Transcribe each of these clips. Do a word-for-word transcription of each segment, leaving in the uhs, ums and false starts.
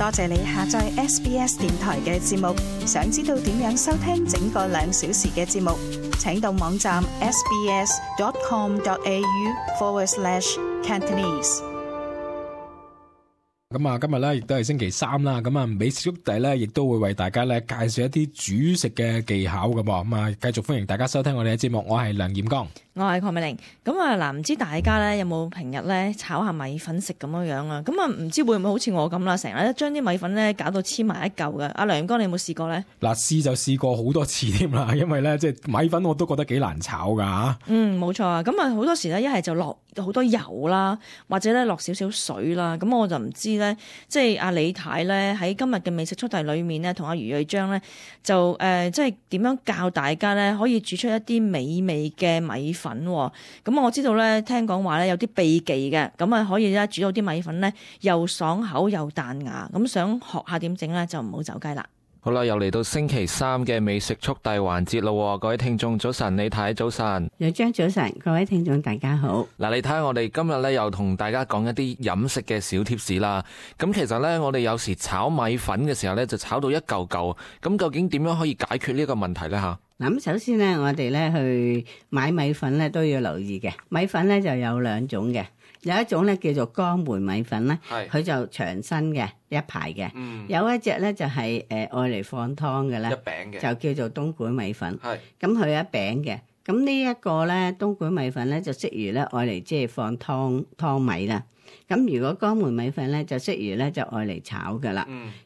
多謝你下載 S B S 電台嘅節目。想知道點樣收聽整個兩小時嘅節目，請到網站 sbs.com.au forward slash Cantonese。咁啊，今日咧亦都係星期三啦。咁啊，美食速遞咧亦都會為大家咧介紹一啲煮食嘅技巧㗎噃。咁啊，繼續歡迎大家收聽我哋嘅節目。我係梁彥剛，我係鄺美玲。咁啊，嗱，唔知大家咧有冇平日咧炒下米粉食咁樣樣啊？咁啊，唔知會唔會好似我咁啦，成日咧將啲米粉咧搞到黐埋一嚿嘅。阿梁彥剛，你有冇試過咧？嗱，試就試過好多次添啦，因為咧即係米粉我都覺得幾難炒噶嚇。嗯，冇錯啊。咁啊，好多時咧一係就落好多油啦，或者咧落少少水啦。咁我就唔知咧，即係阿李太咧喺今日嘅美食速遞裏面咧，同阿余瑞章咧就誒、呃，即係點樣教大家咧可以煮出一啲美味嘅米粉。咁我知道咧，聽講話咧有啲秘技嘅，咁啊可以咧煮到啲米粉咧又爽口又彈牙。咁想學下點整咧，就唔好走雞啦。好啦，又嚟到星期三嘅美食速遞環節咯，各位聽眾早晨，李太早晨，有張早晨，各位聽眾大家好。嗱，你睇下我哋今日咧又同大家講一啲飲食嘅小貼士啦。咁其實咧，我哋有時炒米粉嘅時候咧，就炒到一嚿嚿。咁究竟點樣可以解決呢個問題咧？吓，嗱，咁首先咧，我哋咧去買米粉咧都要留意嘅。米粉咧就有兩種嘅。有一種咧叫做江梅米粉咧，佢就長身嘅一排嘅、嗯。有一隻咧就係誒愛嚟放湯嘅咧，一餅嘅就叫做東莞米粉。咁佢一餅嘅，咁呢一個咧東莞米粉咧就適宜咧愛嚟即係放湯湯米啦。咁如果江梅米粉咧就適宜咧就愛嚟炒噶啦。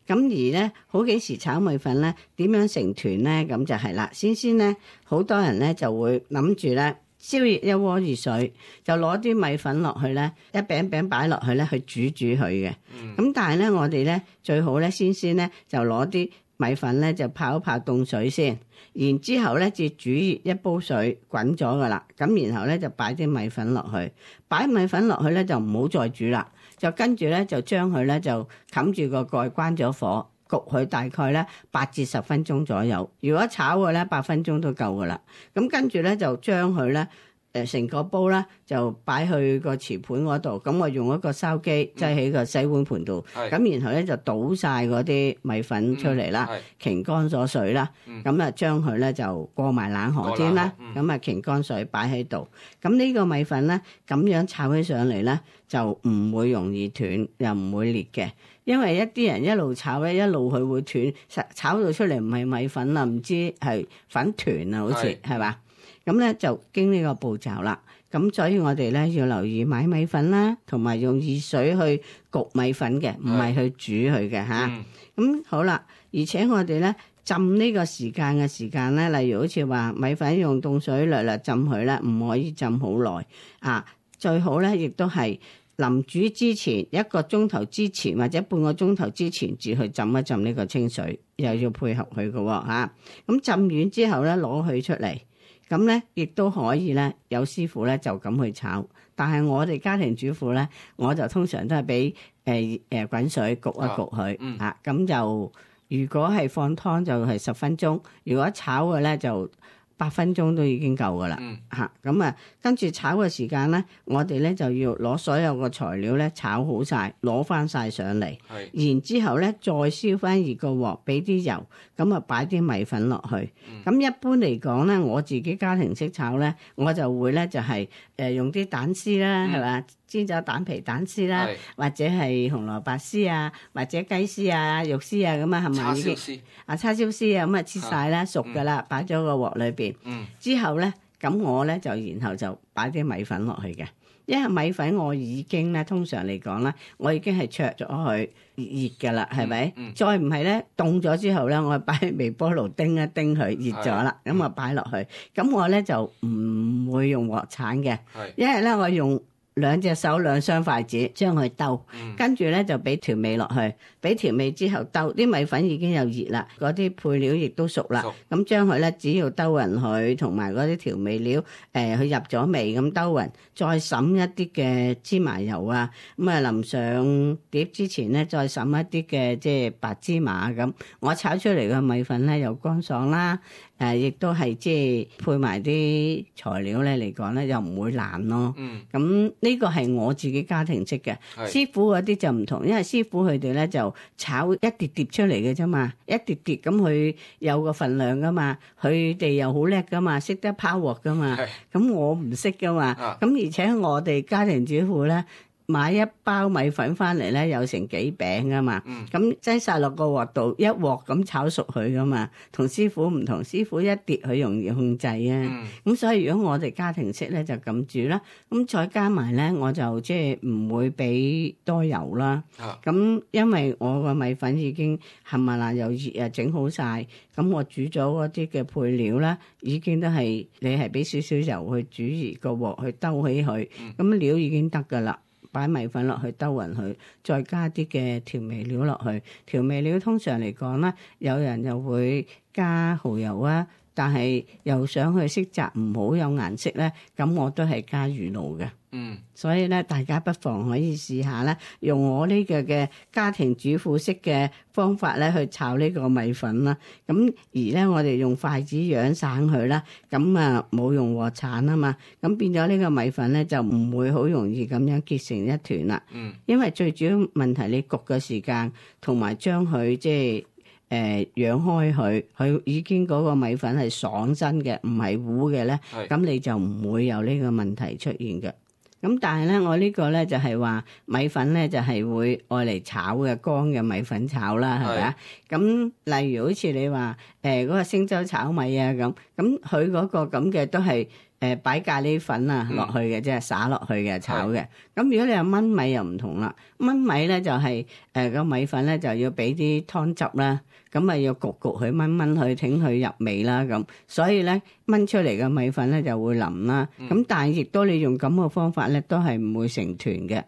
咁、嗯、而咧好幾時炒米粉咧點樣成團咧？咁就係啦。先先咧好多人咧就會諗住咧。燒熱一鍋熱水，就攞啲米粉落去咧，一餅餅擺落去咧，去煮煮佢嘅。咁、嗯、但係咧，我哋咧最好咧，先先咧就攞啲米粉咧就泡一泡凍水先，然之後咧至煮熱一煲水滾咗噶啦。咁然後咧就擺啲米粉落去，擺米粉落去咧就唔好再煮啦，就跟住咧就將佢咧就冚住個蓋，關咗火。焗佢大概咧八至十分鐘左右，如果炒嘅咧八分鐘都夠噶啦。咁跟住咧就將佢咧誒成個煲咧就擺去個瓷盤嗰度，咁我用一個筲箕擠喺個洗碗盤度，咁、嗯、然後咧就倒晒嗰啲米粉出嚟啦，擎乾咗水啦，咁啊將佢咧就過埋冷河先啦，咁啊擎乾水擺喺度，咁呢個米粉咧咁樣炒起上嚟咧就唔會容易斷，又唔會裂嘅。因為一啲人一路炒咧，一路佢會斷，炒到出嚟唔係米粉啦，唔知係粉團啊，好似係嘛？咁咧就經呢個步驟啦。咁所以我哋咧要留意買米粉啦，同埋用熱水去焗米粉嘅，唔係去煮佢嘅吓。咁、嗯、好啦，而且我哋咧浸呢個時間嘅時間咧，例如好似話米粉用凍水略略浸佢咧，唔可以浸好耐啊。最好咧亦都係。臨煮之前一個鐘頭之前或者半個鐘頭之前至去浸一浸呢個清水，又要配合佢嘅喎嚇。咁浸完之後咧攞佢出嚟，咁咧亦都可以咧有師傅咧就咁去炒。但係我哋家庭主婦咧，我就通常都係俾誒誒滾水焗一焗佢嚇。咁、嗯啊、就如果係放湯就係十分鐘，如果炒嘅咧就八分鐘都已經夠噶啦嚇，咁啊跟住炒嘅時間咧，我哋咧就要攞所有個材料咧炒好晒，攞翻晒上嚟，然之後咧再燒翻熱個鑊，俾啲油，咁啊擺啲米粉落去。咁、嗯、一般嚟講咧，我自己家庭式炒咧，我就會咧就係誒用啲蛋絲啦，係、嗯、嘛？煎咗蛋皮蛋絲啦，或者係紅蘿蔔絲啊，或者雞絲啊、肉絲啊咁啊，係咪？叉燒絲啊，叉燒絲啊，咁啊切晒啦，熟噶啦，擺咗個鑊裏邊。嗯。之後咧，咁我咧就然後就擺啲米粉落去嘅，因為米粉我已經咧通常嚟講咧，我已經係灼咗佢熱噶啦，係咪？嗯。再唔係咧凍咗之後咧，我擺喺微波爐叮一叮佢熱咗啦，咁啊擺落去。咁我咧就唔會用鑊鏟嘅，因為咧我用。兩隻手兩雙筷子將佢兜，跟住咧就俾調味落去，俾調味之後兜，啲米粉已經有熱啦，嗰啲配料亦都熟啦，咁將佢咧只要兜勻佢，同埋嗰啲調味料，誒、呃、佢入咗味咁兜勻，再灑一啲嘅芝麻油啊，咁啊淋上碟之前咧再灑一啲嘅即係白芝麻咁，我炒出嚟嘅米粉咧又乾爽啦。誒、呃，亦都係即係配埋啲材料咧嚟講咧，又唔會爛咯。嗯，咁呢呢個係我自己家庭式嘅，師傅嗰啲就唔同，因為師傅佢哋咧就炒一碟碟出嚟嘅啫嘛，一碟碟咁佢有個份量噶嘛，佢哋又好叻噶嘛，識得拋鑊噶嘛，咁我唔識噶嘛，咁而且我哋家庭主婦咧。買一包米粉翻嚟咧，有成幾餅噶嘛，咁擠晒落個鑊度，一鑊咁炒熟佢噶嘛，同師傅唔同，師傅一碟佢容易控制啊，咁、嗯、所以如果我哋家庭式咧就咁煮啦，咁再加埋咧我就即係唔會俾多油啦，咁、啊、因為我個米粉已經冚唪唥又熱啊整好晒，咁我煮咗嗰啲嘅配料咧，已經都係你係俾少少油去煮熱個鑊去兜起佢，咁、嗯、料已經得噶啦。擺米粉落去兜勻佢，再加啲嘅調味料落去。調味料通常嚟講咧，有人又會加蠔油啊，但係又想去色澤唔好有顏色咧，咁我都係加魚露嘅。嗯，所以咧，大家不妨可以試下咧，用我呢個嘅家庭主婦式嘅方法咧去炒呢個米粉啦。咁而咧，我哋用筷子養散佢啦，咁啊冇用鑊鏟啊嘛，咁變咗呢個米粉咧就唔會好容易咁樣結成一團啦。嗯，因為最主要問題你焗嘅時間同埋將佢即係誒養開佢，佢已經嗰個米粉係爽身嘅，唔係糊嘅咧，咁你就唔會有呢個問題出現嘅。咁但係咧，我呢個咧就係話米粉咧就係會愛嚟炒嘅，乾嘅米粉炒啦，係咪啊？咁例如好似你話誒嗰個星洲炒米啊咁，咁佢嗰個咁嘅都係誒擺咖喱粉啊落去嘅，即係灑落去嘅炒嘅。咁如果你話燜米又唔同啦，燜米咧就係誒個米粉咧就要俾啲湯汁啦。咁咪要焗焗佢炆炆佢，整佢入味啦咁，所以咧炆出嚟嘅米粉咧就會腍啦。咁、嗯、但係亦都你用咁嘅方法咧，都係唔會成團嘅。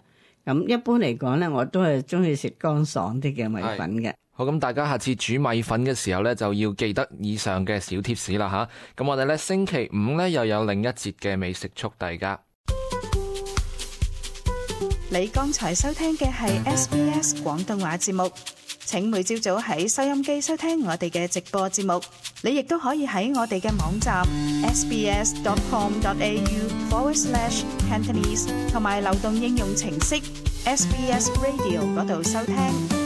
咁一般嚟講咧，我都係中意食乾爽啲嘅米粉嘅。好，咁大家下次煮米粉嘅時候咧，就要記得以上嘅小貼士啦吓。咁我哋咧星期五咧又有另一節嘅美食速遞㗎。你剛才收聽嘅係 S B S 廣東話節目。請每朝早喺收音機收聽我哋嘅直播節目，你亦都可以喺我哋嘅網站 sbs dot com dot a u forward slash cantonese 同埋流動應用程式 S B S Radio 嗰度收聽。